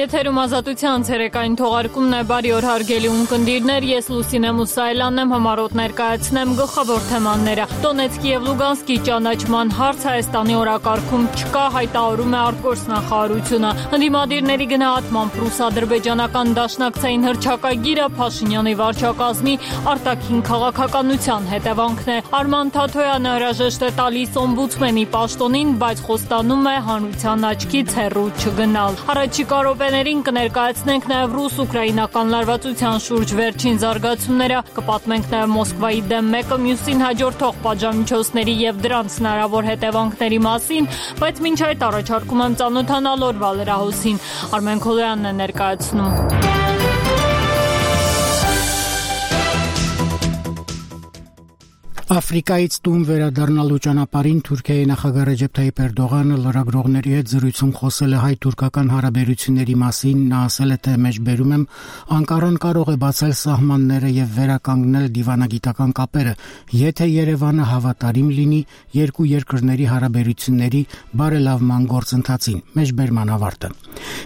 Եթերում ազատության ցերեկային թողարկումն է, բարի օր հարգելի ունկնդիրներ, ես Լուսինե Մուսայելյանն եմ, համառոտ ներկայացնեմ գլխավոր թեմաները։ Դոնեցկի եւ Լուգանսկի ճանաչման հարց Հայաստանի օրակարգում չկա, հայտարարում է արտգործնախարարությունը։ Ընդդիմադիրների գնահատմամբ ռուս-ադրբեջանական դաշնակցային հռչակագիրը Փաշինյանի վարչակազմի արտաքին քաղաքականության հետևանքն է։ Արման Թաթոյանը հրաժեշտ է տալիս օմբուդսմենի պաշտոնին, բայց խոստանում է հանրության աչքից հեռու չգնալ։ Առաջիկա րոպեներին կներկայացնենք նաև ռուս-ուկրաինական լարվածության շուրջ վերջին զարգացումները, կպատմենք նաև Մոսկվայի դեմ մեկը մյուսին հաջորդող պատժամիջոցների եւ դրանց հնարավոր հետևանքների մասին, բայց մինչ այդ առաջարկում եմ ծանոթանալ օրվա լրահոսին։ Արմեն Քոլոյանն է ներկայացնում։ Աֆրիկայից տուն վերադառնալու ճանապարհին Թուրքիայի նախագահ Ռեջեփ Թայիփ Էրդողանը լրագրողների հետ զրույցում խոսել է հայ-թուրքական հարաբերությունների մասին, նա ասել է, թե մեջբերում եմ Անկարան կարող է բացել սահմանները եւ վերականգնել դիվանագիտական կապերը, եթե Երևանը հավատարիմ լինի երկու երկրների հարաբերությունների բարելավման գործընթացին։ Մեջբերման ավարտը։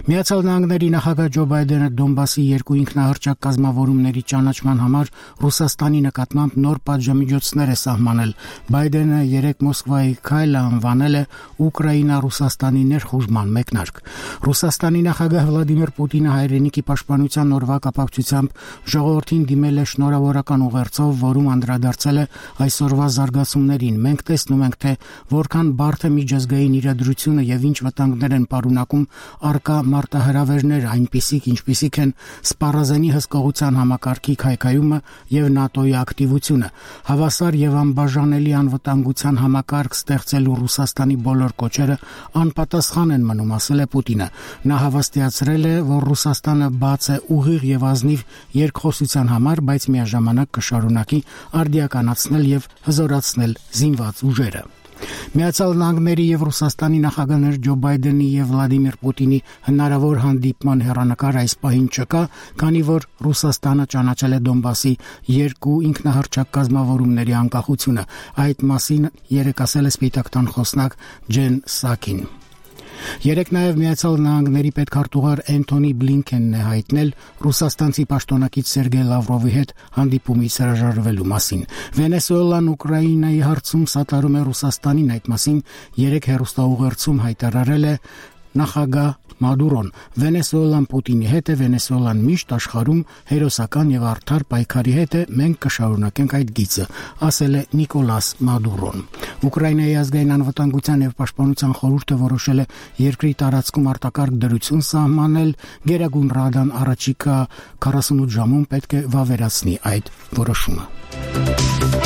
Միացյալ Նահանգների նախագահ Ջո Բայդենը Դոնբասի երկու ինքնահռչակ կազմավորումների ճանաչման համար Ռուսաստանի նկատմամբ նոր պատժամիջոցներ սահմանել։ Բայդենը երեկ Մոսկվայի քայլը անվանել է Ուկրաինա-Ռուսաստանի ներխուժման մեկնարկ։ Ռուսաստանի նախագահ Վլադիմիր Պուտինը հայրենիքի պաշտպանության օրվա կապակցությամբ ժողովրդին դիմել է շնորհավորական ուղերձով, որում անդրադարձել է այսօրվա զարգացումներին։ Մենք տեսնում ենք, թե որքան բարդ է միջազգային իրադրությունը եւ ինչ վտանգներ են պարունակում արկա մարտահրավերներ, այնպիսիք, ինչպիսիք են սպառազենի հսկողության համակարգի քայքայումը եւ ՆԱՏՕ-ի ակտիվությունը։ Հավասար եւ անբաժանելի անվտանգության համակարգ ստեղծելու Ռուսաստանի բոլոր կոչերը անպատասխան են մնում, ասել է Պուտինը։ Նա հավաստիացրել է, որ Ռուսաստանը բաց է ուղիղ եւ ազնիվ երկխոսության համար, բայց միաժամանակ կշարունակի արդիականացնել եւ հզորացնել զինված ուժերը։ Միացյալ Նահանգների եւ Ռուսաստանի նախագահներ Ջո Բայդենի եւ Վլադիմիր Պուտինի հնարավոր հանդիպման հեռանկար այս պահին չկա, քանի որ Ռուսաստանը ճանաչել է Դոնբասի երկու ինքնահռչակ կազմավորումների անկախությունը։ Այդ մասին երեկ ասել է Սպիտակ տան խոսնակ Ջեն Սաքին։ Երեկ նաև Միացյալ Նահանգների պետքարտուղար Էնթոնի Բլինքենն է հայտնել ռուսաստանցի պաշտոնակից Սերգեյ Լավրովի հետ հանդիպումից հրաժարվելու մասին։ Վենեսուելան Ուկրաինայի հարցում սատարում է Ռուսաստանին, այդ մասին երեկ հեռուստաուղերձում հայտարարել է նախագահ Մադուրոն։ Վենեսուելան Պուտինի հետ է, Վենեսուելան միշտ աշխարհում հերոսական եւ արդար պայքարի հետ է, մենք կշարունակենք այդ գիծը, ասել է Նիկոլաս Մադուրոն։ Ուկրաինայի ազգային անվտանգության եւ պաշտպանության խորհուրդը որոշել է երկրի տարածքում արտակարգ դրություն սահմանել, Գերագույն Ռադան առաջիկա 48 ժամում պետք է վավերացնի այդ որոշումը։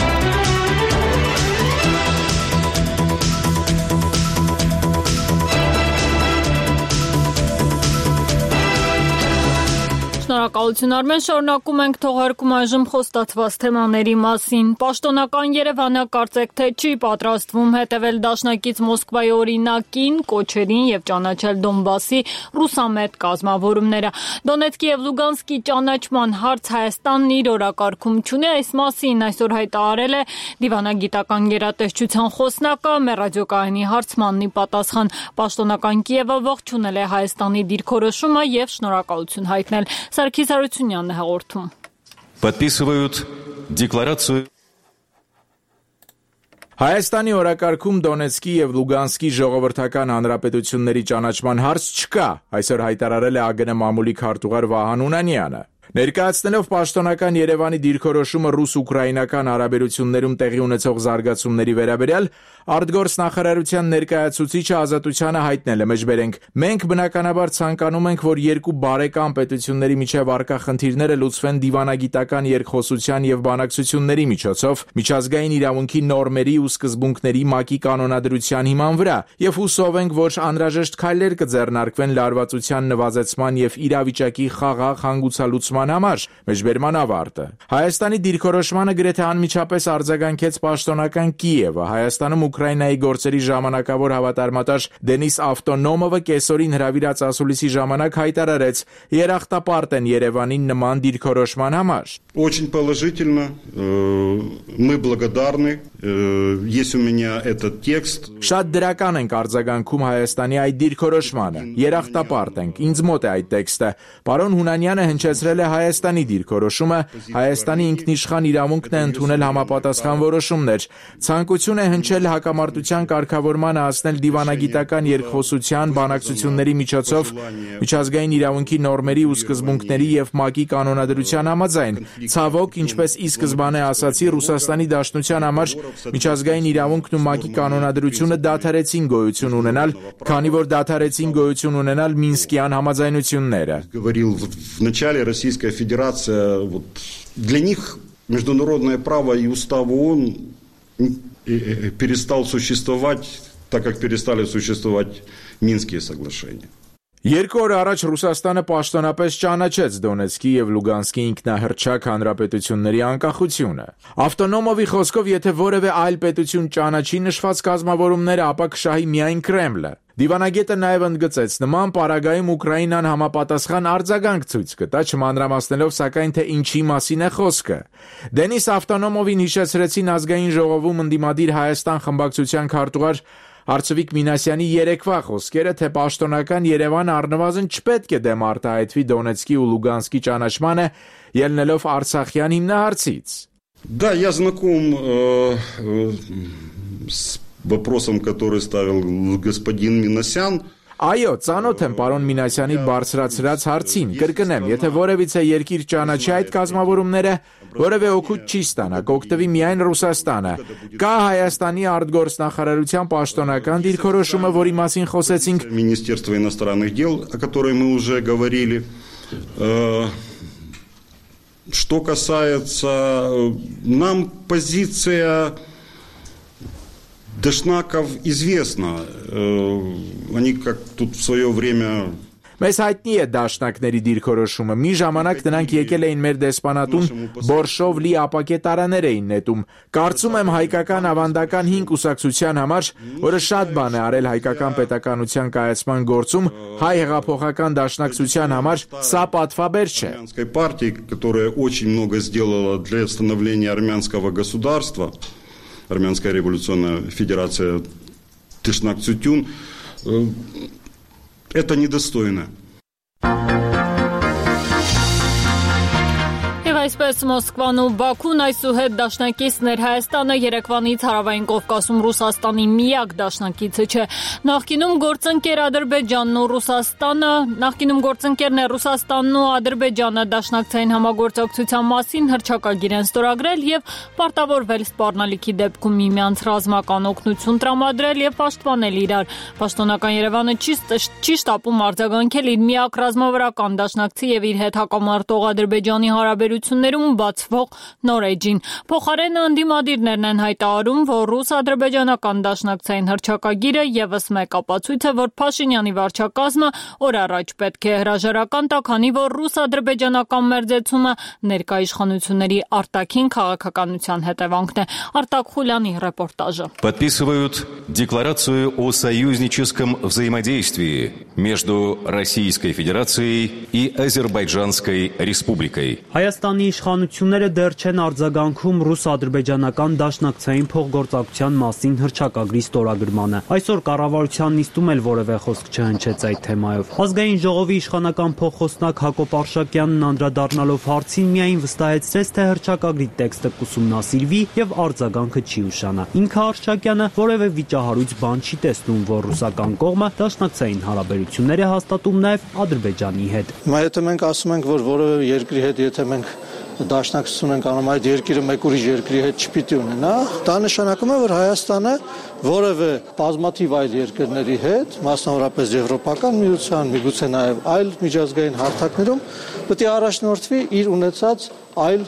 Շնորհակալություն Արմեն, շարունակում ենք թողարկում այժմ խոստացված թեմաների մասին։ Պաշտոնական Երևանը կարծեք թե չի պատրաստվում հետևել դաշնակից Մոսկվայի օրինակին, կոչերին եւ ճանաչել Դոնբասի ռուսամետ կազմավորումները։ Դոնեցկի եւ Լուգանսկի ճանաչման հարց Հայաստանն իր օրակարգում չունի, այս մասին այսօր հայտարարել է դիվանագիտական գերատեսչության խոսնակը, մեր ռադիոկայանի հարցմանն ի պատասխան պաշտոնական Կիևը ողջունել է Հայաստանի դիրքորոշումը եւ շնորհակալություն հայտնել։ Սարգիս Հարությունյանն է հաղորդում։ Подписывают декларацию. Հայաստանի օրակարգում Դոնեցկի եւ Լուգանսկի ժողովրդական հանրապետությունների ճանաչման հարց չկա, այսօր հայտարարել է ԱԳՆ մամուլի քարտուղար Վահան Ունանյանը։ Ներկայացնելով պաշտոնական Երևանի դիրքորոշումը ռուս-ուկրաինական հարաբերություններում տեղի ունեցող զարգացումների վերաբերյալ, արտգործնախարարության ներկայացուցիչը Ազատությանը հայտնել է մեջբերենք. մենք բնականաբար ցանկանում ենք, որ երկու բարեկամ պետությունների միջև առկա խնդիրները լուծվեն դիվանագիտական երկխոսության եւ բանակցությունների միջոցով, միջազգային իրավունքի նորմերի ու սկզբունքների ՄԱԿ-ի կանոնադրության հիման վրա, եւ հուսով ենք, որ անհրաժեշտ քայլեր կձեռնարկվեն լարվածության նվազեցման եւ իրավիճակի խաղաղ հանգուցալուծման համար։ Մեջբերման ավարտը։ Հայաստանի դիրքորոշմանը գրեթե անմիջապես արձագանքեց պաշտոնական Կիևը։ Հայաստանում Ուկրաինայի գործերի ժամանակավոր հավատարմատար Դենիս Ավտոնոմովը կեսօրին հրավիրած ասուլիսի ժամանակ հայտարարեց. երախտապարտ են Երևանին նման դիրքորոշման համար։ Очень положительно. Мы благодарны Есть у меня этот текст. Շատ դրական ենք արձագանքում Հայաստանի այդ դիրքորոշմանը։ Երախտապարտ ենք։ Ինձ մոտ է այդ տեքստը։ Պարոն Հունանյանը հնչեցրել է Հայաստանի դիրքորոշումը, Հայաստանի ինքնիշխան իրավունքն է ընդունել համապատասխան որոշումներ։ Ցանկություն է հնչել հակամարտության կարգավորմանը հասնել դիվանագիտական երկխոսության, բանակցությունների միջոցով միջազգային իրավունքի նորմերի ու սկզբունքների եւ ՄԱԿ-ի կանոնադրության համաձայն։ Ցավոք, ինչպես ի սկզբանե ասացի, Ռուսաստանի Դաշնության համար միջազգային իրավունքն ու ՄԱԿ-ի կանոնադրությունը դադարեցին գոյություն ունենալ, քանի որ դադարեցին գոյություն ունենալ Մինսկյան համաձայնությունները։ Говорил в начале Российская Федерация, вот для них международное право и устав ООН перестал существовать, так как перестали существовать Минские соглашения. Երկու օր առաջ Ռուսաստանը պաշտոնապես ճանաչեց Դոնեցկի եւ Լուգանսկի ինքնահռչակ հանրապետությունների անկախությունը։ Ավտոնոմովի խոսքով, եթե որևէ այլ պետություն ճանաչի նշված կազմավորումները, ապա կշահի միայն Կրեմլը։ Դիվանագետը նաև ընդգծեց, նման պարագայում Ուկրաինան համապատասխան արձագանք ցույց կտա, չմանրամասնելով սակայն թե ինչի մասին է խոսքը։ Դենիս Ավտոնոմովին հիշեցրեցին ազգային ժողովում ընդդիմադիր Հայաստան խմբակցության քարտուղար Արծվիկ Մինասյանի երեկվա խոսքերը, թե պաշտոնական Երևանը առնվազն չպետք է դեմ արտահայտվի Դոնեցկի ու Լուգանսկի ճանաչմանը, ելնելով Արցախյան հիմնահարցից։ Да, я знаком с вопросом, который ставил господин Минасян. Այո, ծանոթ եմ պարոն Մինասյանի բարձրացրած հարցին, կրկնեմ, եթե որևիցե երկիր ճանաչի այդ կազմավորումները, որևէ օգուտ չի ստանա, կօգտվի միայն Ռուսաստանը։ Կա Հայաստանի արտգործնախարարության պաշտոնական դիրքորոշումը, որի մասին խոսեցինք։ Министерство иностранных дел, о которой мы уже говорили. Что касается нам, позиция Дашнаков известна. Они как тут в свое время... Մեզ հայտնի է դաշնակների դիրքորոշումը։ Մի ժամանակ նրանք եկել էին մեր դեսպանատուն, բորշով լի ապակե տարաներ էին նետում։ Կարծում եմ հայկական ավանդական 5 կուսակցության համար, որը շատ բան է արել հայկական պետականության կայացման գործում, հայ հեղափոխական դաշնակցության համար սա պատվաբեր չէ։ Армянской партии, которая очень много сделала для становления армянского государства, Армянская революционная федерация Тышнак-Цютюн, это недостойно. Այսպես Մոսկվան ու Բաքուն այսուհետ դաշնակիցներ Հայաստանը Երևանից հարավային Կովկասում Ռուսաստանի միակ դաշնակիցը չէ։ Նախկինում գործընկերն է Ռուսաստանն ու Ադրբեջանը դաշնակցային համագործակցության մասին հռչակագիր են ստորագրել եւ պարտավորվել սպառնալիքի դեպքում միմյանց ռազմական օգնություն տրամադրել եւ պաշտպանել իրար։ Պաշտոնական Երևանը չի շտապում արձագանքել իր միակ ռազմավարական դաշնակցի եւ իր հետ հակամարտող Ադրբեջանի հարաբերություններում բացվող նոր էջին։ Փոխարենը ընդդիմադիրներն են հայտարարում, որ ռուս-ադրբեջանական դաշնակցային հռչակագիրը եւս մեկ ապացույց է, որ Փաշինյանի վարչակազմը օր առաջ պետք է հրաժարական տա, քանի որ ռուս-ադրբեջանական մերձեցումը ներկա իշխանությունների արտաքին քաղաքականության հետևանքն է։ Արտակ Խուլյանի ռեպորտաժը։ Подписывают декларацию о союзническом взаимодействии между Российской Федерацией и Азербайджанской Республикой. Հայաստանի իշխանությունները դեռ չեն արձագանքում ռուս-ադրբեջանական դաշնակցային փոխգործակցության մասին հռչակագրի ստորագրմանը։ Այսօր կառավարության նիստում էլ որևէ խոսք չհնչեց այդ թեմայով։ Ազգային ժողովի իշխանական փոխխոսնակ Հակոբ Արշակյանն անդրադառնալով հարցին միայն վստահեցրեց, թե հռչակագրի տեքստը կուսումնասիրվի եւ արձագանքը չի ուշանա։ Ինքը Արշակյանը որևէ վիճահարույց բան չի տեսնում, որ ռուսական կողմը դաշնակցային հարաբերություններ է հաստատում նաեւ Ադրբեջանի հետ։ Հիմա եթե մենք ասում ենք, որ որևէ երկրի հետ եթե մենք դաշնակցություն ենք անում, այդ երկիրը մեկ ուրիշ երկրի հետ չպիտի ունենա, դա նշանակում է, որ Հայաստանը որևէ բազմաթիվ այլ երկրների հետ, մասնավորապես Եվրոպական միության, միգուցե նաև այլ միջազգային հարթակներում պետք է առաջնորդվի իր ունեցած այլ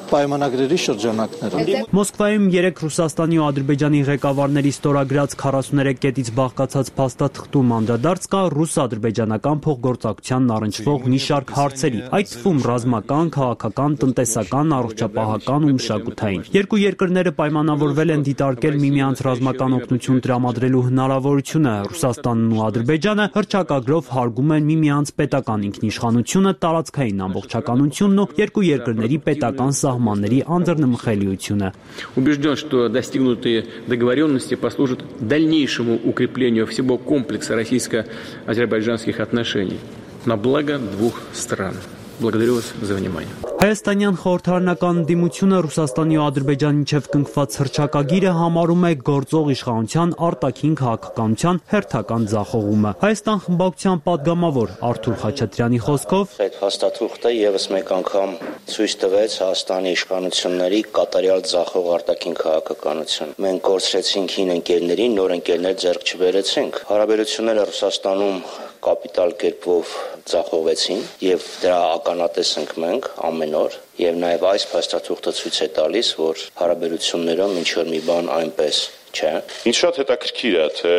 պայմանագրերի շրջանակներում։ Մոսկվայում 3 Ռուսաստանի ու Ադրբեջանի ղեկավարների ստորագրած 43 կետից բաղկացած փաստաթղթում անդրադարձ կա ռուս-ադրբեջանական փոխգործակցությանն առնչվող մի շարք հարցերի, այդ թվում ռազմական, քաղաքական, տնտեսական, առողջապահական ու մշակութային։ Երկու երկրները պայմանավորվել են դիտարկել միմյանց ռազմական օգնություն տրամադրելու հնարավորությունը։ Ռուսաստանն ու Ադրբեջանը հռչակագրով հարգում են միմյանց պետական ինքնիշխանությունը, տարածքային ամբողջականությունն ու երկու երկրների պետական սահմանների անդրնմխելիությունը։ Убежден, что достигнутые договоренности послужат дальнейшему укреплению всего комплекса российско-азербайджанских отношений на благо двух стран. Благодарю вас за внимание. Հայաստանյան խորհրդարանական դիմությունը Ռուսաստանի ու Ադրբեջանի միջև կնքված հռչակագիրը համարում է գործող իշխանության արտաքին քաղաքականության հերթական ձախողումը։ Հայաստան խմբակցության падգամավոր Արթուր Խաչատրյանի խոսքով այդ փաստաթուղթը եւս մեկ անգամ ցույց տվեց Հայաստանի իշխանությունների կատարյալ ձախող արտաքին քաղաքականություն։ Մենք կորցրեցինք հին ընկերներին, նոր ընկերներ ձեռք չբերեցինք։ Հարաբերությունները Ռուսաստանում կապիտալ կերպով ձախողվեցին եւ դրա ականատես ենք մենք ամեն օր եւ նաեւ այս փաստաթուղթը ցույց է տալիս, որ հարաբերություններում ինչ որ մի բան այնպես չէ։ Ինձ շատ հետաքրքիր է, թե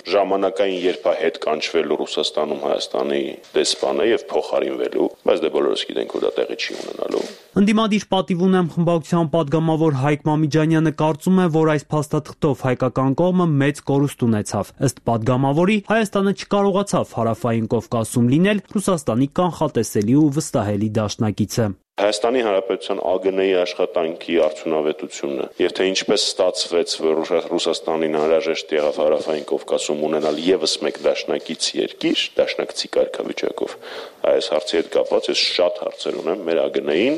ժամանակային երբ է հետ կանչվելու Ռուսաստանում Հայաստանի դեսպանը եւ փոխարինվելու, բայց դե բոլորս գիտենք, որ դա տեղի չի ունենալու։ Ընդդիմադիր պատիվ ունեմ խմբակցության падգամավոր Հայկ Մամիջանյանը կարծում է, որ այս փաստաթղթով հայկական կողմը մեծ կորուստ ունեցավ։ Ըստ падգամավորի Հայաստանը չկարողացավ Հարավային Կովկասում լինել Ռուսաստանի կանխատեսելի ու վստահելի դաշնակիցը։ Հայաստանի Հանրապետության ԱԳՆ-ի աշխատանքի արդյունավետությունը եւ թե ինչպես ստացվեց, որ Ռուսաստանին անհրաժեշտ եղավ Հարավային Կովկասում ունենալ եւս մեկ դաշնակից երկիր, դաշնակցի կարգավիճակով, այս հարցի հետ կապված ես շատ հարցեր ունեմ մեր ԱԳՆ-ին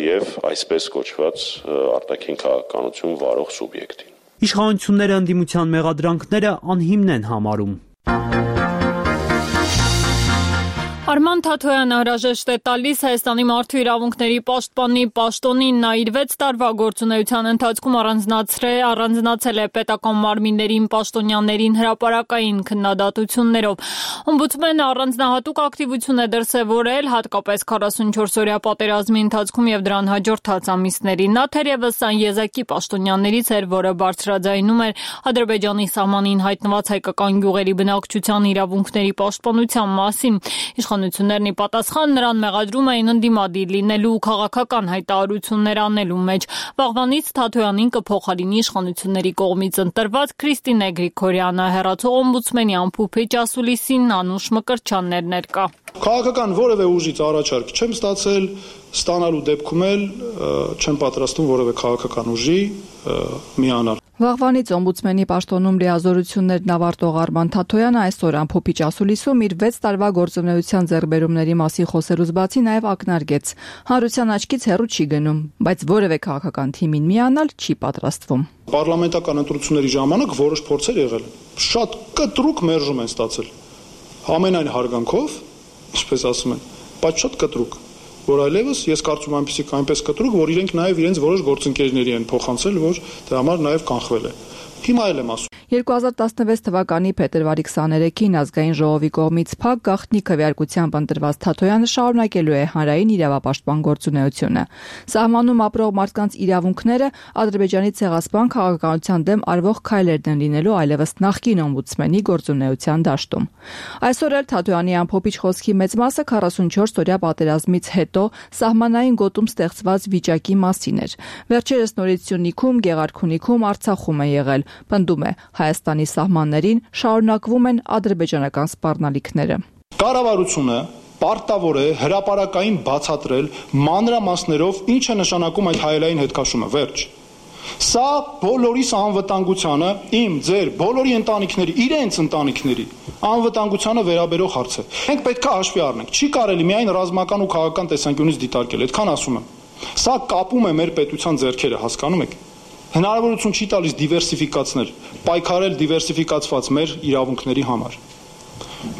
եւ այսպես կոչված արտաքին քաղաքականություն վարող սուբյեկտին։ Իշխանությունները ընդդիմության մեղադրանքները անհիմն են համարում։ Արման Թաթոյանը հրաժեշտ է տալիս Հայաստանի մարդու իրավունքների պաշտպանի պաշտոնին, նա իր 6 տարվա գործունեության ընթացքում առանձնացել է պետական մարմիններին պաշտոնյաներին հրապարակային քննադատություններով։ Օմբուդսմենը առանձնահատուկ ակտիվություն է դրսևորել հատկապես 44-օրյա պատերազմի ընթացքում եւ դրան հաջորդած ամիսներին։ Նա թերևս այն եզակի պաշտոնյաներից էր, որը բարձրաձայնում էր Ադրբեջանի սահմանին հայտնված հայկական գյուղերի բնակչության իրավունքների պաշտպանության մասին։ Իշխանություններն ի պատասխան նրան մեղադրում էին ընդդիմադիր լինելու ու քաղաքական հայտարարություններ անելու մեջ։ Վաղվանից Թաթոյանին կփոխարինի իշխանությունների կողմից ընտրված Քրիստինե Գրիգորյանը, հեռացող օմբուդսմենի ամփոփիչ ասուլիսին Անուշ Մկրտչյաններ ներկա։ Քաղաքական որևէ ուժից առաջարկ չեմ ստացել, ստանալու դեպքում էլ չեմ պատրաստում որևէ քաղաքական ուժի միանալ։ Վաղվանից օմբուդսմենի պաշտոնում լիազորություններն ավարտող Արման Թաթոյանը այսօր ամփոփիչ ասուլիսում իր 6 տարվա գործունեության ձեռքբերումների մասին խոսելուց բացի նաև ակնարկեց. հանրության աչքից հեռու չի գնում, բայց որևէ քաղաքական թիմին միանալ չի պատրաստվում։ Պարլամենտական ընտրությունների ժամանակ որոշ փորձեր եղել են։ Շատ կտրուկ մերժում են ստացել։ Ամենայն հարգանքով, ինչպես ասում են, բայց շատ կտրուկ, որ այլևս ես կարծում եմ այնպես կտրուկ, որ իրենք նաև իրենց որոշ գործընկերների են փոխանցել, որ դրա համար նաև կանխվել է։ Հիմա էլ եմ ասում։ 2016 թվականի փետրվարի 23-ին ազգային ժողովի կողմից փակ գաղտնի քվեարկությամբ ընտրված Թաթոյանը շարունակելու է հանրային իրավապաշտպան գործունեությունը։ Սահմանում ապրող մարդկանց իրավունքները Ադրբեջանի ցեղասպան քաղաքականության դեմ արվող քայլերն են լինելու այլևս նախկին օմբուդսմենի գործունեության դաշտում։ Այսօր էլ Թաթոյանի ամփոփիչ խոսքի մեծ մասը 44-օրյա պատերազմից հետո սահմանային գոտում ստեղծված վիճակի մասին էր։ Վերջերս Նորիցյունիքում, Գեղարքունիքում, Արցախում է եղել, պնդում է Հայաստանի սահմաններին շարունակվում են ադրբեջանական սպառնալիքները։ Կառավարությունը պարտավոր է հրապարակային բացատրել մանրամասներով ինչ է նշանակում այդ հայելային հետքաշումը, վերջ։ Սա բոլորիս անվտանգությանը, իմ, ձեր, բոլորի ընտանիքների, իրենց ընտանիքների անվտանգությանը վերաբերող հարց է։ Մենք պետք է հաշվի առնենք, չի կարելի միայն ռազմական ու քաղաքական տեսանկյունից դիտարկել, այդքան ասում եմ։ Սա կապում է մեր պետության ձեռքերը, հասկանում եք։ Հնարավորություն չի տալիս դիվերսիֆիկացնել, պայքարել դիվերսիֆիկացված մեր իրավունքների համար։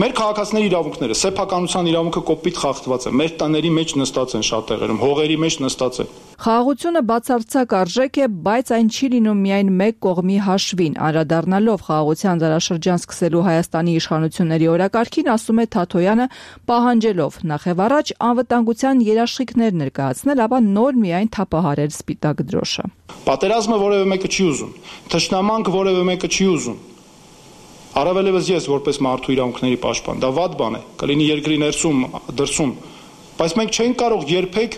Մեր քաղաքացիների իրավունքները, սեփականության իրավունքը կոպիտ խախտված է, մեր տների մեջ նստած են շատ տեղերում, հողերի մեջ նստած են։ Խաղաղությունը բացարձակ արժեք է, բայց այն չի լինում միայն մեկ կողմի հաշվին։ Անդրադառնալով խաղաղության դարաշրջան սկսելու Հայաստանի իշխանությունների օրակարգին, ասում է Թաթոյանը, պահանջելով նախևառաջ անվտանգության երաշխիքներ ներկայացնել, ապա նոր միայն թափահարել սպիտակ դրոշը։ Պատերազմը որևէ մեկը չի ուզում, թշնամանք որևէ մեկը չի ուզում։ Առավելևս ես որպես մարդու իրավունքների պաշտպան, դա վատ բան է, կլինի երկրի ներսում, դրսում, բայց մենք չենք կարող երբեք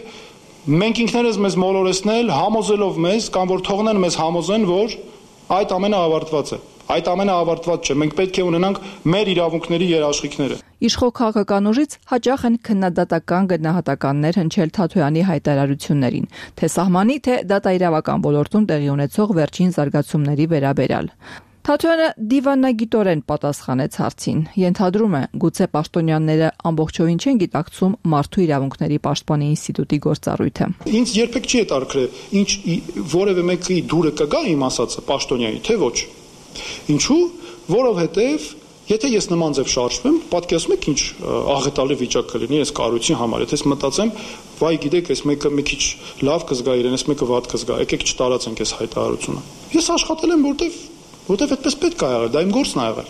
մենք ինքներս մեզ մոլորեցնել, համոզելով մեզ կամ որ թողնեն մեզ համոզեն, որ այդ ամենը ավարտված է։ Այդ ամենը ավարտված չէ։ Մենք պետք է ունենանք մեր իրավունքների երաշխիքները։ Իշխող քաղաքական ուժից հաճախ են քննադատական գնահատականներ հնչել Թաթոյանի հայտարարություններին, թե սահմանի, թե դատաիրավական ոլորտում տեղի ունեցող վերջին զարգացումների վերաբերյալ։ Թաթոյանը դիվանագիտորեն պատասխանեց հարցին. Ենթադրում է, գուցե պաշտոնյաները ամբողջովին չեն գիտակցում մարդու իրավունքների պաշտպանի ինստիտուտի գործառույթը։ Ինձ երբեք չի հետաքրքրել, ինչ որևէ մեկի դուրը կգա իմ ասածը պաշտոնյայի, թե ոչ։ Ինչու՞, որովհետև եթե ես նման ձև շարժվեմ, պատկերացնում եք ինչ աղետալի վիճակ կլինի այս կառույցի համար, եթե ես մտածեմ, վայ գիտեք, այս մեկը մի քիչ լավ կզգա իրեն, այս մեկը վատ կզգա, եկեք չտարածենք այս հայտարարությունը։ Ես աշխատել եմ, որտեվ այդպես պետք է եղել, դա իմ գործն է եղել։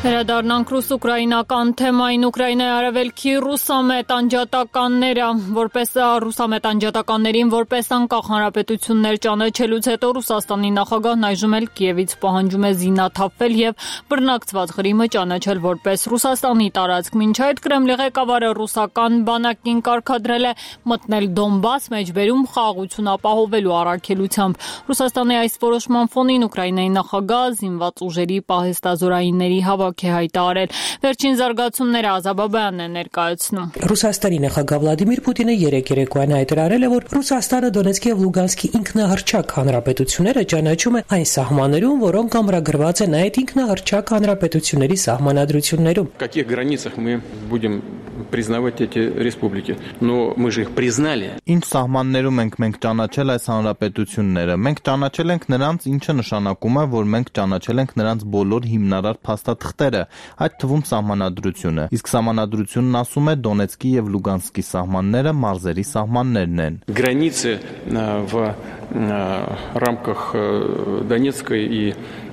Վերադառնանք ռուս-ուկրաինական թեմային։ Ուկրաինայի արևելքի ռուսամետ անջատականներին որպես անկախ հանրապետություններ ճանաչելուց հետո Ռուսաստանի նախագահն այժմ էլ Կիևից պահանջում է զինաթափվել եւ բռնակցված Ղրիմը ճանաչել որպես Ռուսաստանի տարածք։ Մինչ այդ Կրեմլի ղեկավարը ռուսական բանակին կարգադրել է մտնել Դոնբաս մեջբերում խաղաղություն ապահովելու առաքելությամբ։ Ռուսաստանի այս որոշման ֆոնին Ուկրաինայի նախագահ զինված ուժերի պահեստազորայինների հավաք է հայտարարել։ Վերջին զարգացումները Ազաբաբյանն է ներկայացնում։ Ռուսաստանի նախագահ Վլադիմիր Պուտինը երեկոյան հայտարարել է, որ Ռուսաստանը Դոնեցկի եւ Լուգանսկի ինքնահռչակ հանրապետությունները ճանաչում է այն սահմաններում, որոնք ամրագրված են այդ ինքնահռչակ հանրապետությունների սահմանադրություններում։ В каких границах мы будем признавать эти республики? Но мы же их признали. Ինչ սահմաններում ենք մենք ճանաչել այս հանրապետությունները։ Մենք ճանաչել ենք նրանց, ինչը նշանակում է, որ մենք ճանաչել ենք նրանց բոլոր հիմնարար փաստաթղթերը, այդ թվում սահմանադրությունը։ Իսկ սահմանադրությունն ասում է Դոնեցկի եւ Լուգանսկի սահմանները մարզերի սահմաններն են։ Границы в рамках Донецкой и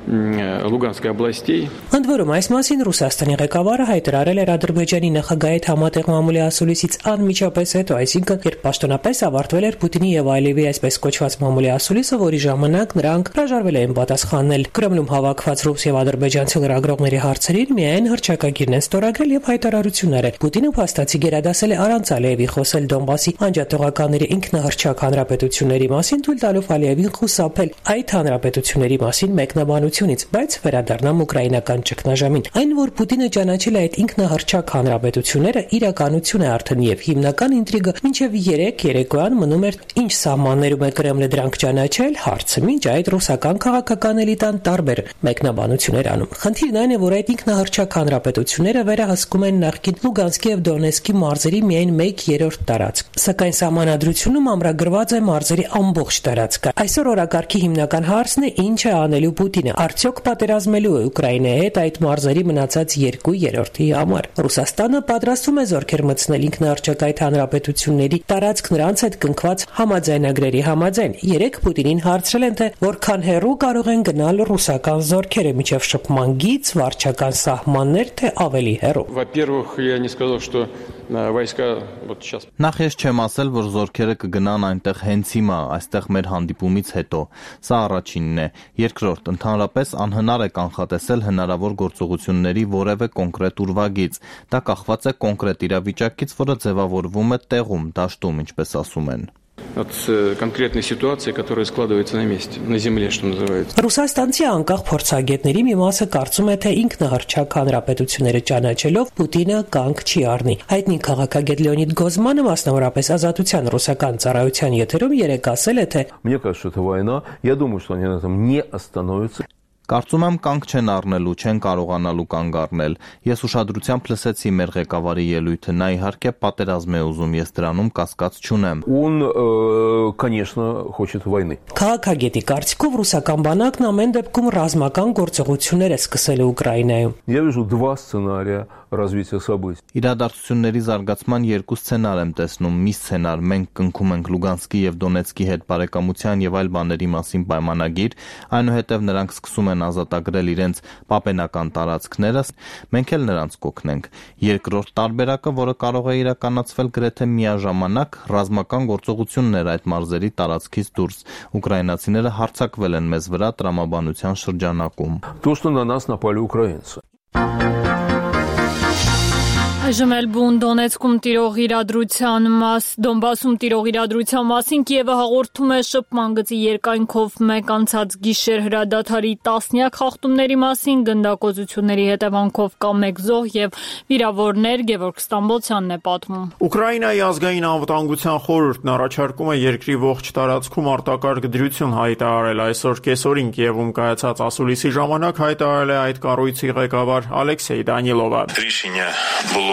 Լուգանսկի областей։ Ընդ որում այս մասին Ռուսաստանի ղեկավարը հայտարարել էր Ադրբեջանի նախագահի հետ համատեղ մամուլի ասուլիսից անմիջապես հետո, այսինքն երբ պաշտոնապես ավարտվել էր Պուտինի եւ Ալիևի այսպես կոչված մամուլի ասուլիսը, որի ժամանակ նրանք հրաժարվել էին պատասխանել։ Կրեմլում հավաքված ռուս եւ ադրբեջանցի լրագրողների հարցերին միայն հռչակագիրն են ստորագրել եւ հայտարարություններ։ Պուտինը փաստացի գերադասել է առանց Ալիևի խոսել Դոնբասի անջատողականների ինքնահռչակ հանրապետությունների մասին, թույլ տալով Ալիևին խուսափել այդ հանրապետությունների մասին մեկնաբանությունից, բայց վերադառնամ ուկրաինական ճգնաժամին։ Այն, որ Պուտինը ճանաչել է այդ ինքնահռչակ հանրապետությունները, իրականություն է արդեն եւ հիմնական ինտրիգը մինչեւ երեկոյան մնում էր ինչ սահմաններում է Կրեմլը դրանք ճանաչել, հարցը մինչ այդ ռուսական քաղաքական էլիտան տարբեր մեկնաբանություններ անում։ Խնդիրն այն է, որ այդ ինքնահռչակ հանրապետությունները վերահսկում են նախկին Լուգանսկի եւ Դոնեցկի մարզերի միայն 1/3 տարածք, սակայն սահմանադրությունում ամրագրված է մարզերի ամբողջ տարածքը։ Այսօր օրակարգի հիմնական հարցն է ինչ է անելու Պուտինը, արդյոք պատերազմելու է Ուկրաինայի հետ այդ մարզերի մնացած 2/3-ի համար։ Ռուսաստանը պատրաստվում է զորքեր մտցնել ինքնահռչակ այդ հանրապետությունների տարածք նրանց հետ կնքված համաձայնագրերի համաձայն։ Երեք Պուտինին հարցրել են, թե որքան հեռու կարող են գնալ ռուսական զորքերը միջև շփման գիծ, վարչական սահմաններ, թե ավելի հեռու։ Во-первых, я не сказал, что войска вот сейчас. Նախ ես չեմ ասել, որ զորքերը կգնան այնտեղ հենց հիմա, այստեղ մեր հանդիպումից հետո։ Սա առաջինն է։ Երկրորդ, ընդհանրապես անհնար է կանխատեսել հնարավոր գործողությունների որևէ կոնկրետ ուրվագիծ։ Դա կախված է կոնկրետ իրավիճակից, որը ձևավորվում է տեղում, դաշտում, ինչպես ասում են։ От конкретной ситуации, которая складывается на месте, на земле, что называется. Ռուսաստանցի անկախ փորձագետների մի մասը կարծում է, թե ինքնահռչակ հանրապետությունները ճանաչելով Պուտինը կանգ չի առնի։ Հայտնի քաղաքագետ Լեոնիդ Գոզմանը, մասնավորապես Ազատության ռուսական ծառայության եթերում երեկ ասել է, թե Мне кажется, это война. Я думаю, что они на этом не остановятся. Կարծում եմ կանգ չեն առնելու, չեն կարողանալու կանգ առնել։ Ես ուշադրությամբ լսեցի մեր ղեկավարի ելույթը, նա իհարկե պատերազմ է ուզում, ես դրանում կասկած չունեմ։ Он, конечно, хочет войны. Քաղաքագետի կարծիքով ռուսական բանակն ամեն դեպքում ռազմական գործողություններ է սկսել Ուկրաինայում։ Я вижу два сценария развития событий. Իրադարձությունների զարգացման երկու սցենար եմ տեսնում։ Մի սցենար մենք կնքում ենք Լուգանսկի եւ Դոնեցկի հետ բարեկամության եւ այլ բաների մասին պայմանագիր, այնուհետեւ նրանք սկսում են ազատագրել իրենց պապենական տարածքները, մենք էլ նրանց կօգնենք։ Երկրորդ տարբերակը, որը կարող է իրականացվել գրեթե միաժամանակ, ռազմական գործողություններ այդ մարզերի տարածքից դուրս։ Ուկրաինացիները հարձակվել են մեզ վրա տրամաբանության շրջանակում։ То, что на нас напали украинцы. Այժմ էլ բուն Դոնեցկում տիրող Դոնբասում տիրող իրադրության մասին Կիևը հաղորդում է շփման գծի երկայնքով մեկ անցած գիշեր հրադադարի տասնյակ խախտումների մասին, գնդակոծությունների հետևանքով կա մեկ զոհ եւ վիրավորներ, Գևորգ Ստամբոլցյանն է պատմում։ Ուկրաինայի ազգային անվտանգության խորհուրդն առաջարկում է երկրի ողջ տարածքում արտակարգ դրություն հայտարարել այսօր կեսօրին Կիևում կայացած ասուլիսի ժամանակ հայտարարել է այդ կառույցի ղեկավար Ալեքսեյ Դանիլովը։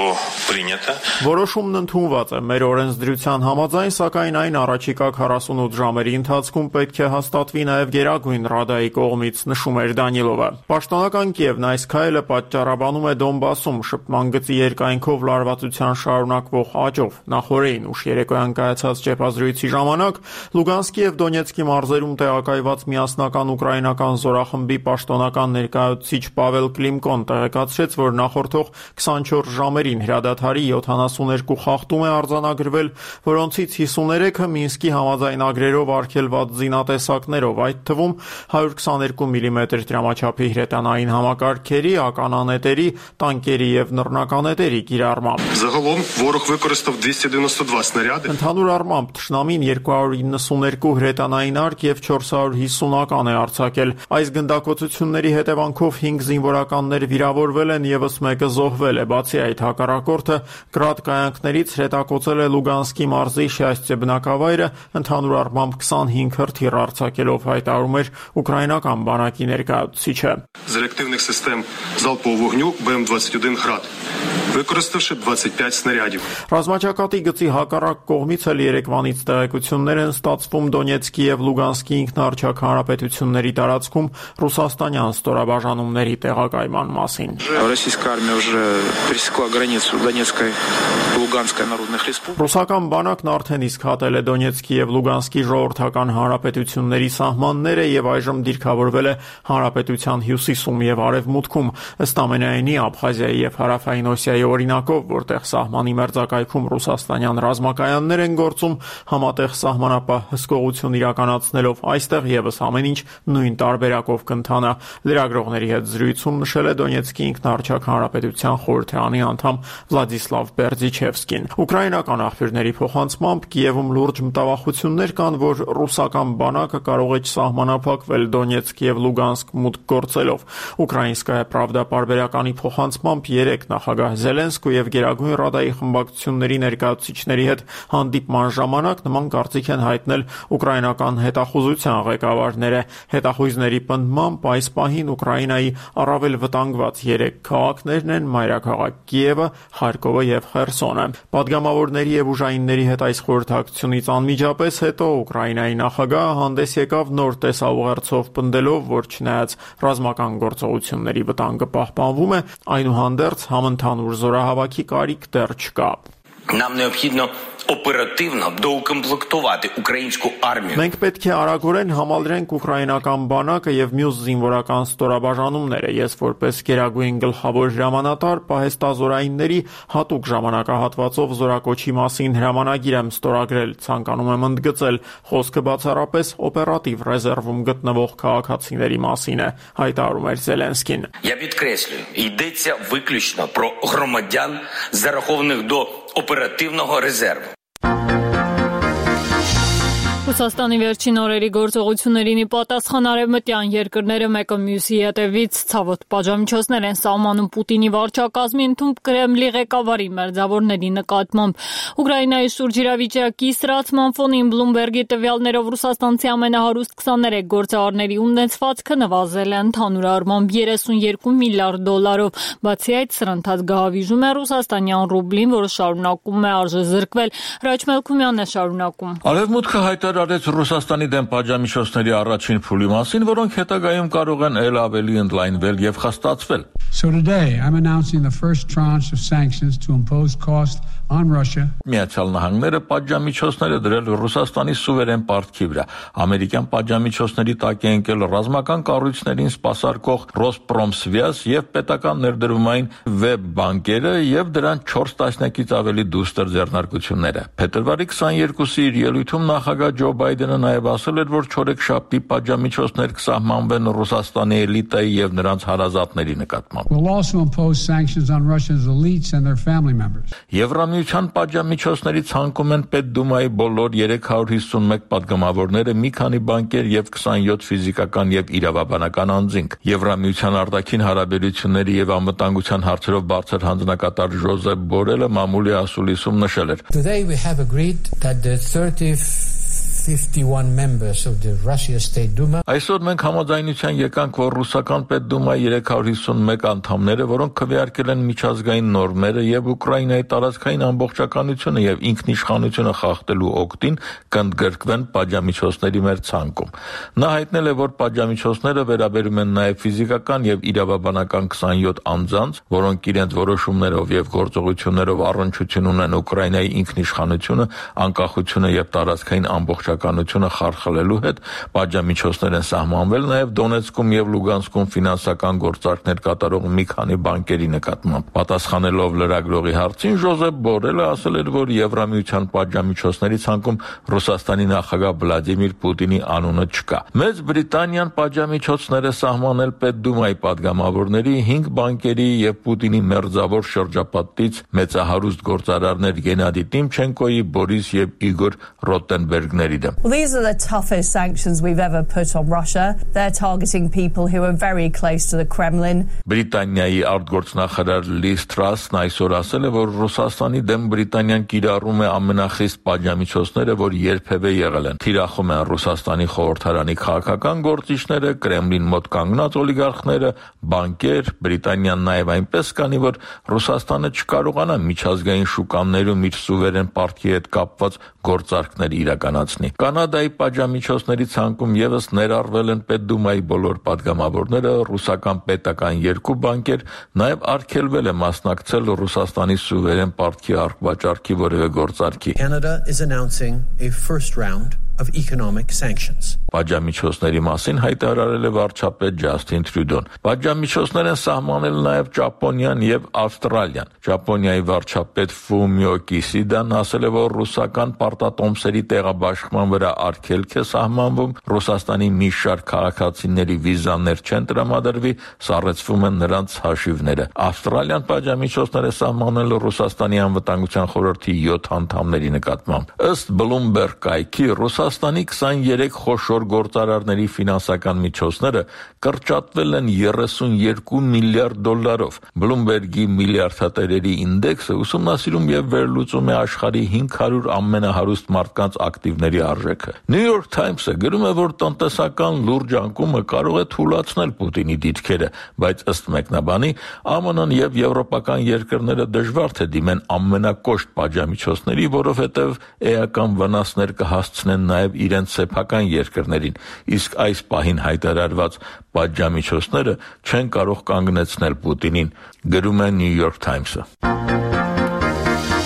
Որոշումն ընդունված է մեր օրենսդրության համաձայն, սակայն այն առաջիկա 48 ժամերի ընթացքում պետք է հաստատվի նաև Գերագույն Ռադայի կողմից, նշում էր Դանիլովը։ Պաշտոնական Կիևն այս քայլը պատճառաբանում է Դոնբասում շփման գծի երկայնքով լարվածության շարունակվող աճով։ Նախորդին ուշ երեկոյան կայացած ճեպազրույցի ժամանակ Լուգանսկի եւ Դոնեցկի մարզերում տեղակայված միասնական ուկրաինական զորախմբի պաշտոնական ներկայացուցիչ Պավել Կլիմկոն տեղեկացրեց, որ նախորդող 24 ժամերին հրադադարի 72 խախտում է արձանագրվել, որոնցից 53-ը Մինսկի համաձայնագրերով արգելված զինատեսակներով, այդ թվում 122 մմ դրամաչափի հրետանային համակարգերի, ականանետերի, տանկերի եւ նռնականետերի կիրառմամբ։ Загалом ворог використав 292 снаряди. Ընդհանուր առմամբ թշնամին 292 հրետանային արկ եւ 450 ական է արձակել։ Այս գնդակոծությունների հետևանքով 5 զինվորականներ վիրավորվել են, եւս մեկը զոհվել է։ Բացի այդ, հակառակորդը գրադ կայանքներից հրետակոծել է Լուգանսկի մարզի Շյաստյե բնակավայրը, ընդհանուր առմամբ 25 հրթիռ արձակելով, հայտարարում էր ուկրաինական բանակի ներկայացուցիչը։ З реактивних систем залпового вогню БМ-21 «Град», використавши 25 снарядів. Ռազմաճակատի գծի հակառակ կողմից էլ երեկվանից տեղեկություններ են ստացվում Դոնեցկի եւ Լուգանսկի ինքնաառաջակ հանրապետությունների տարածքում ռուսաստանյան ստորաբաժանումների տեղակայման մասին։ Российская армия уже пересекла границу Донецкой и Луганской народных республик. Ռուսական բանակն արդեն իսկ հատել է Դոնեցկի եւ Լուգանսկի ժողովրդական հանրապետությունների սահմանները եւ այժմ դիրքավորվել է հանրապետության հյուսիսում եւ արևմուտքում, ըստ ամենայնի Աբխազիայի եւ Հարավային Օսիայի օրինակով, որտեղ սահմանի մերձակայքում ռուսաստանյան ռազմակայաններ են գործում, համատեղ սահմանապահ հսկողություն իրականացնելով այստեղ եւս ամեն ինչ նույն տարբերակով կընթանա։ Լրագրողների հետ զրույցում նշել է Դոնեցկի ինքնաառաջակ հանրապետության խորհրդարանի անդամ Վլադիսլավ Բերձիչևսկին։ Ուկրաինական աղբյուրների փոխանցմամբ Կիևում լուրջ մտավախություններ կան, որ ռուսական բանակը կարող է չսահմանափակվել Դոնեցկ եւ Լուգանսկ մուտք գործելով։ Ուկրաինսկայա Պրավդա պարբերականի փոխանցմամբ 3 նախագահ Զելենսկու եւ Գերագույն Ռադայի խմբակցությունների ներկայացուցիչների հետ հանդիպման ժամանակ նման կարծիք են հայտնել ուկրաինական հետախուզության ղեկավարները։ Հետախույզների պնդմամբ այս պահին Ուկրաինայի առավել վտանգված 3 քաղաքներն են մայրաքաղաք Կիևը, Խարկովը եւ Խերսոնը։ Պատգամավորների եւ ուժայինների հետ այս խորհրդակցությունից անմիջապես հետո Ուկրաինայի նախագահը հանդես եկավ նոր տեսաուղերձով պնդելով, որ չնայած ռազմական գործողությունների վտանգը պահպանվում է, այնուհանդերձ համընդհանուր զորահավաքի կարիք դեռ չկա։ Нам необхідно оперативно доукомплектувати українську армію. Մենք պետք է արագորեն համալրենք ուկրաինական բանակը եւ մյուս զինվորական ստորաբաժանումները։ Ես որպես գերագույն գլխավոր հրամանատար պահեստազորայինների հատուկ ժամանակահատվածով զորակոչի մասին հրամանագիր եմ ստորագրել, ցանկանում եմ ընդգծել, խոսքը բացառապես օպերատիվ ռեզերվում գտնվող քաղաքացիների մասին է, հայտարարում էր Զելենսկին։ Я підкреслюю, йдеться виключно про громадян, зарахованих до օպերատիվного резерву. Ռուսաստանի վերջին օրերի գործողություններին ի պատասխան արևմտյան երկրները մեկը մյուսի հետևից ցավոտ պատժամիջոցներ են սահմանում Պուտինի վարչակազմի ընդունակ Կրեմլի ղեկավարի մերձավորների նկատմամբ։ Ուկրաինայի շուրջ իրավիճակի սրացման ֆոնին Բլումբերգի տվյալներով ռուսաստանցի ամենահարուստ 23 գործարարների ունեցվածքը նվազել է ընդհանուր առմամբ 32 միլիարդ դոլարով։ Բացի այդ, սրընթաց գահավիժում է ռուսաստանյան ռուբլին, որը շարունակում է արժեզրկվել։ Հրաչ Մելքումյանն է շարունակում։ Արևմուտքը հայտարարեց Ռուսաստանի դեմ պատժամիջոցների առաջին փուլի մասին, որոնք հետագայում կարող են ել ավելի ընդլայնվել եւ խստացվել։ So today I'm announcing the first tranche of sanctions to impose cost on Russia. Միացյալ Նահանգները պատժամիջոցներ է դրել Ռուսաստանի սուվերեն պարտքի վրա։ Ամերիկյան պատժամիջոցների տակ է ընկել ռազմական կառույցներին սպասարկող Ռոսպրոմսվիազ եւ պետական ներդրումային վեբ բանկերը եւ դրան 4 տասնյակից ավելի դուստր ձեռնարկությունները։ Փետրվարի 22-ի իր ելույթում նախագահ Ջո Բայդենը նաեւ ասել էր, որ չորեքշաբթի պատժամիջոցներ կսահմանվեն Ռուսաստանի էլիտայի եւ նրանց հարազատների նկատմամբ։ We'll also impose sanctions on Russia's elites and their family members. Եվրամիության պատժամիջոցների ցանկում են Պետդումայի բոլոր 351 падգամավորները, մի քանի բանկեր եւ 27 ֆիզիկական եւ իրավաբանական անձինք։ Եվրամիության արտաքին հարաբերությունների եւ անվտանգության հարցերով բարձր հանձնակատար Ժոզեփ Բորելը մամուլի ասուլիսում նշել էր. Today we have agreed that the 51 members of the Russia State Duma. Այսօր մենք համաձայնության եկանք, որ ռուսական Պետդումայի 351 անդամները, որոնք քվեարկել են միջազգային նորմերը եւ Ուկրաինայի տարածքային ամբողջականությունը եւ ինքնիշխանությունը խախտելու օգտին, կընդգրկվեն պատժամիջոցների մեր ցանկում։ Նա հայտնել է, որ պատժամիջոցները վերաբերում են նաեւ ֆիզիկական եւ իրավաբանական 27 անձանց, որոնք իրենց որոշումներով եւ գործողություններով առնչություն ունեն Ուկրաինայի ինքնիշխանությունը, անկախությունը եւ տարածքային ամբողջականությունը խարխլելու հետ, պատժամիջոցներ են սահմանվել նաև Դոնեցկում եւ Լուգանսկում ֆինանսական գործարքներ կատարող մի քանի բանկերի նկատմամբ։ Պատասխանելով լրագրողի հարցին, Ժոզեփ Բորելը ասել էր, որ Եվրամիության պատժամիջոցների ցանկում Ռուսաստանի նախագահ Վլադիմիր Պուտինի անունը չկա։ Մեծ Բրիտանիան պատժամիջոցներ է սահմանել Պետդումայի падգամավորների, 5 բանկերի եւ Պուտինի մերձավոր շրջապատից մեծահարուստ գործարարներ Գենադի Տիմչենկոյի, Բորիս եւ Իգոր Ռոտենբերգների դեմ։ Well, these are the toughest sanctions we've ever put on Russia. They're targeting people who are very close to the Kremlin. Բրիտանիայի արտգործնախարար Լիզ Թրասն այսօր ասել է, որ Ռուսաստանի դեմ Բրիտանիան կիրառում է ամենախիստ պատժամիջոցները, որ երբևէ եղել են։ Թիրախում են Ռուսաստանի խորհրդարանի քաղաքական գործիչները, Կրեմլին մոտ կանգնած օլիգարխները, բանկեր, Բրիտանիան նաև այնպես կանի, որ Ռուսաստանը չկարողանա միջազգային շուկաներում իր սուվերեն պարտքի հետ կապված գործարքներ իրականացնի։ Կանադայի պատժամիջոցների ցանկում եւս ներառվել են Պետդումայի բոլոր падգամավորները, ռուսական պետական 2 բանկեր, նաև արգելվել է մասնակցել Ռուսաստանի սուվերեն պարտքի արգվաճառքի որևէ գործարքի։ Canada is announcing a first round of economic sanctions. Պատժամիջոցների մասին հայտարարել է վարչապետ Ջասթին Տրյուդոն։ Պատժամիջոցներ են սահմանել նաև Ճապոնիան եւ Ավստրալիան։ Ճապոնիայի վարչապետ Ֆումիո Կիսիդան ասել է, որ ռուսական պարտատոմսերի տեղաբաշխման վրա արգելք է սահմանվում, Ռուսաստանի մի շարք քաղաքացիների վիզաներ չեն տրամադրվի, սառեցվում են նրանց հաշիվները։ Ավստրալիան պատժամիջոցներ է սահմանել Ռուսաստանի անվտանգության խորհրդի 7 անդամների նկատմամբ։ Ըստ Bloomberg կայքի Ռուսաստանի 23 խոշոր գործարարների ֆինանսական միջոցները կրճատվել են 32 միլիարդ դոլարով։ Bloomberg-ի միլիարդատերերի ինդեքսը ուսումնասիրում եւ վերլուծում է աշխարհի 500 ամենահարուստ մարդկանց ակտիվների արժեքը։ New York Times-ը գրում է, որ տնտեսական լուրջ անկումը կարող է թուլացնել Պուտինի դիրքերը, բայց ըստ մեկնաբանի ԱՄՆ-ն եւ եվրոպական երկրները դժվար թե դիմեն ամենակոշտ պատժամիջոցների, որովհետեւ էական վնասներ կհասցնեն նաև իրենց սեփական երկրներին, իսկ այս պահին հայտարարված պատժամիջոցները չեն կարող կանգնեցնել Պուտինին, գրում է New York Times-ը։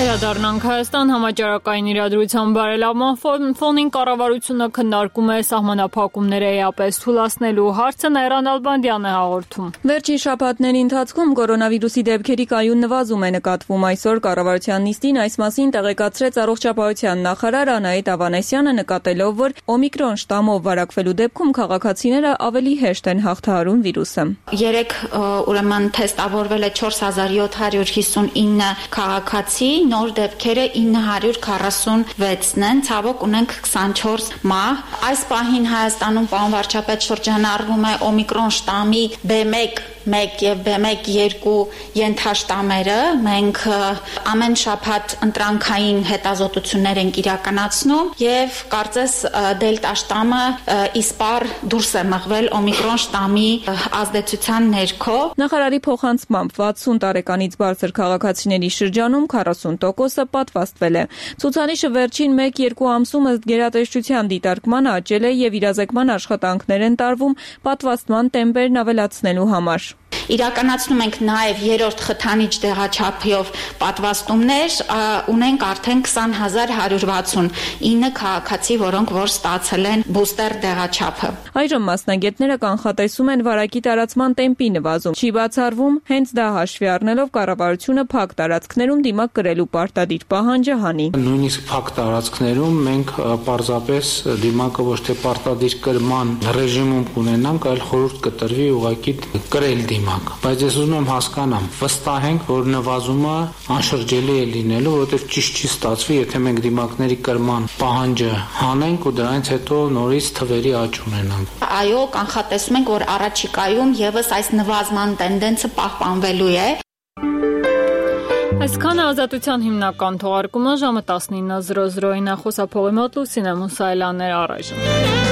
Վերադառնանք Հայաստան համաճարակային իրադրության բարելավման ֆոնին կառավարությունը քննարկում է սահմանափակումները էապես թուլացնելու հարցը Նայրան Ալբանդյանն է հաղորդում։ Վերջին շաբաթների ընթացքում կորոնավիրուսի դեպքերի կայուն նվազում է նկատվում։ Այսօր կառավարության նիստին այս մասին տեղեկացրեց առողջապահության նախարար Անահիտ Ավանեսյանը, նկատելով, որ օմիկրոն շտամով վարակվելու դեպքում քաղաքացիները ավելի հեշտ են հաղթահարում վիրուսը։ Երեք ուրեմն թեստավորվել է 4759 քաղաքացի, նոր դեպքերը 946-ն են, ցավոք ունենք 24 մահ։ Այս պահին Հայաստանում, պարոն վարչապետ, շրջանառվում է օմիկրոն շտամի B1 եւ B1-2 ենթաշտամերը։ Մենք ամեն շաբաթ ընտրանքային հետազոտություններ ենք իրականացնում եւ կարծես դելտա շտամը իսպար դուրս է մղվել օմիկրոն շտամի ազդեցության ներքո։ Նախարարի փոխանցմամբ 60 տարեկանից բարձր քաղաքացիների շրջանում 40%-ը պատվաստվել է։ Ցուցանիշը վերջին 1-2 ամսում ըստ գերատեսչության դիտարկման աճել է եւ իրազեկման աշխատանքներ են տարվում պատվաստման տեմպերն ավելացնելու համար։ Իրականացնում ենք նաև երրորդ խթանիչ դեղաչափով պատվաստումներ, ունենք արդեն 20169 քաղաքացի, որոնք որ ստացել են բուստեր դեղաչափը։ Այժմ մասնագետները կանխատեսում են վարակի տարածման տեմպի նվազում։ Չի բացառվում, հենց դա հաշվի առնելով կառավարությունը փակ տարածքներում դիմակ կրելու պարտադիր պահանջը հանի։ Նույնիսկ փակ տարածքներում մենք պարզապես դիմակը ոչ թե պարտադիր կրման ռեժիմում կունենանք, այլ խորհուրդ կտրվի ուղղակի կրել դիմակ։ ժամանակ, բայց ես ուզում եմ հասկանամ, վստահ ենք, որ նվազումը անշրջելի է լինելու, որովհետև ճիշտ չի ստացվի, եթե մենք դիմակների կրման պահանջը հանենք ու դրանից հետո նորից թվերի աճ ունենանք։ Այո, կանխատեսում ենք, որ առաջիկայում եւս այս նվազման տենդենսը պահպանվելու է։ Այսքան Ազատության հիմնական թողարկումը ժամը 19:00-ին նախոսափողի մոտ Լուսինե Մուսայելյանն էր առայժմ։